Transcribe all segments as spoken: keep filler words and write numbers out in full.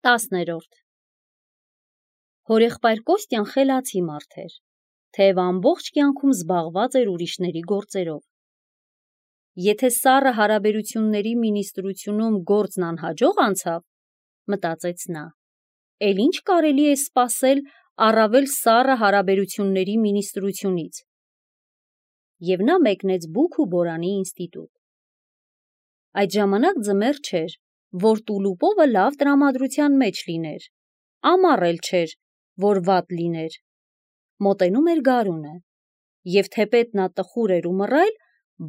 Տասներորդ Հորեղբայր Կոստյան խելացի մարդ էր, թեև ամբողջ կյանքում զբաղված էր ուրիշների գործերով։ Եթե սառը հարաբերությունների մինիստրությունում գործն անհաջող անցավ, մտածեց նա, էլ ինչ կարելի է սպասել առավել սառը հարաբերությունների մինիստրությունից։ Եվ նա մեկնեց Բուք ու Բորանի ինստիտուտ։ Այդ ժամանակ ձմեռ չէր, որ Տուլուպովը լավ տրամադրության մեջ լիներ, ամառ էլ չէր, որ վատ լիներ։ Մոտենում էր գարունը, և թեպետ նա տխուր էր ու մռայլ,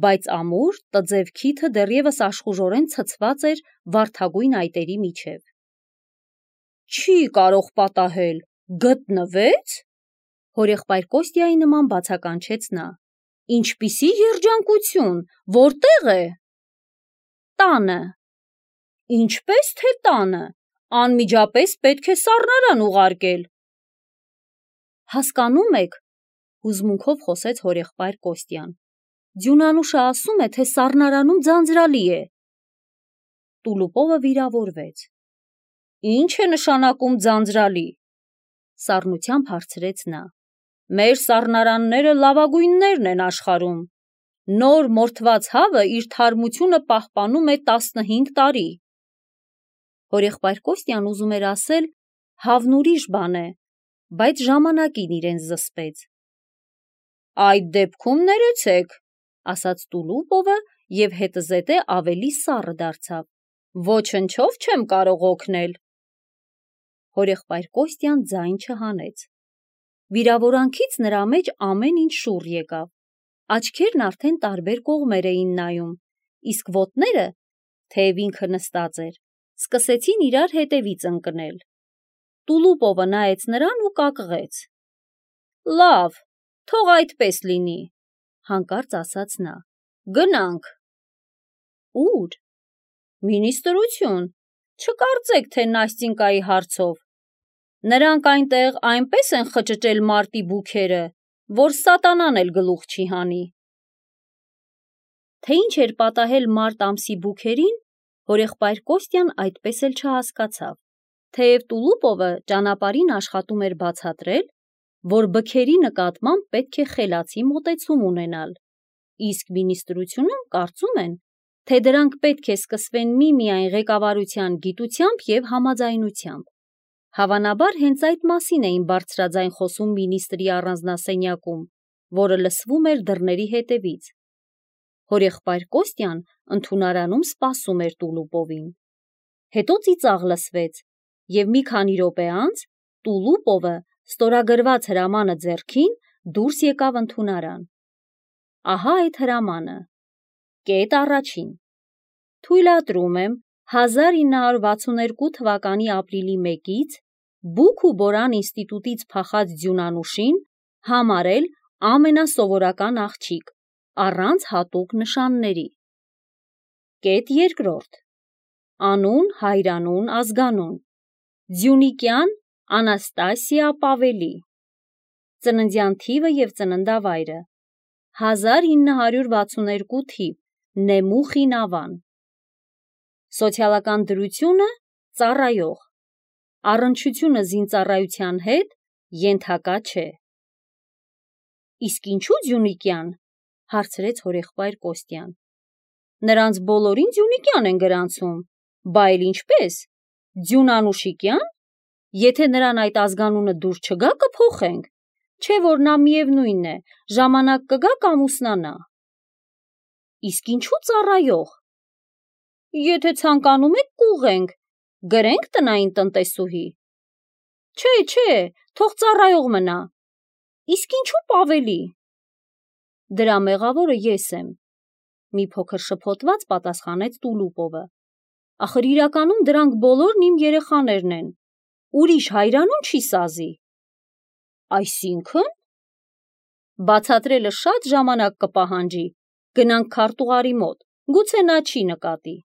բայց ամուր, տձև քիթը դեռևս աշխուժորեն ցցված էր վարդագույն այտերի միջև։ Չի կարող պատահել, գտնվե՞ց։ Հորեղբայր Կոստյայի նման բացականչեց նա։ Ինչպիսի երջանկություն, որտե՞ղ է։ Տանը։ Ինչպես թե տանը, անմիջապես պետք է սառնարան ուղարկել։ Հասկանում եք, հուզմունքով խոսեց հորեղբայր Կոստյան, Ձյունանուշը ասում է, թե սառնարանում ձանձրալի է։ Տուլուպովը վիրավորվեց։ Ինչ է նշանակում ձանձրալի։ Սառնությամբ հարցրեց նա։ Մեր սառնարանները լավագույններն են աշխարհում։ Նոր մորթված հավը իր թարմությունը պահպանում է տասնհինգ տարի։ Հորեղբայր Կոստյան ուզում էր ասել, հավն ուրիշ բան է, բայց ժամանակին իրեն զսպեց։ Այդ դեպքում ներեցեք, ասաց Տուլուպովը և հետզհետե ավելի սառը դարձավ։ Ոչնչով չեմ կարող օգնել։ Հորեղբայր Կոստյան ձայն չհանեց։ Վիրավորանքից նրա մեջ ամեն ինչ շուռ եկավ։ Աչքերն արդեն տարբեր կողմեր էին նայում, իսկ ոտները, թեև ինքը նստած էր, սկսեցին իրար հետևից ընկնել։ Տուլուպովը նայեց նրան ու կակղեց։ Լավ, թող այդպես լինի, հանկարծ ասաց նա։ Գնանք։ Ո՞ւր։ Մինիստրություն, չկարծեք, թե Նաստինկայի հարցով։ Նրանք այնտեղ այնպես են խճճել մարտի բուքերը, որ սատանան էլ գլուխ չի հանի։ Թե ինչ էր պատահել մարտ ամսի բուքերին, հորեղբայր Կոստյան այդպես էլ չհասկացավ, թեև Տուլուպովը ճանապարհին աշխատում էր բացատրել, որ բքերի նկատմամբ պետք է խելացի մոտեցում ունենալ, իսկ մինիստրությունում կարծում են, թե դրանք պետք է սկսվեն միմիայն ղեկավարության գիտությամբ և համաձայնությամբ։ Հավանաբար հենց այդ մասին էին բարձրաձայն խոսում մինիստրի առանձնասենյակում, որը լսվում էր դռների հետևից։ Հորեղբայր Կոստյան ընդունարանում սպասում էր Տուլուպովին։ Հետո ծիծաղ լսվեց, և մի քանի րոպե անց Տուլուպովը ստորագրված հրամանը ձեռքին դուրս եկավ ընդունարան։ Ահա այդ հրամանը։ Կետ առաջին. Թույլատրում եմ հազար ինը հարյուր վաթսունհերկու թվականի ապրիլի մեկից Բուք ու Բորան ինստիտուտից փախած Ձյունանուշին համարել ամենասովորական աղջիկ, առանց հատուկ նշանների։ Կետ երկրորդ. Անուն, հայրանուն, ազգանուն. Ձյունիկյան Անաստասիա Պավելի։ Ծննդյան թիվը և ծննդավայրը. հազար ինը հարյուր վաթսունհերկու թիվ, Նեմուխի Նավան։ Սոցիալական դրությունը՝ ծառայող։ Առնչությունը զինծառայության հետ ենթակա չէ։ Իսկ ինչու Ձյունիկյան, հարցրեց հորեղբայր Կոստյան։ Նրանց բոլորին Ձյունիկյան են գրանցում, բա էլ ինչպես, Ձյունանուշիկյա՞ն, եթե նրան այդ ազգանունը դուր չգա, կփոխենք, չէ որ նա միևնույն է, ժամանակ կգա կամուսնանա։ Իսկ ինչու ծառայող։ Եթե ցանկանում եք կուղենք, գրենք տնային տնտեսուհի։ Չէ, չէ, թող ծառայող մնա։ Իսկ ինչու Պավելի։ Դրա մեղավորը ես եմ, մի փոքր շփոթված պատասխանեց Տուլուպովը։ Ախր իրականում դրանք բոլորն իմ երեխաներն են, ուրիշ հայրանուն չի սազի։ Այսինքն։ Բացատրելը շատ ժամանակ կպահանջի, գնանք քարտուղարի մոտ, գուցե նա չի նկատի։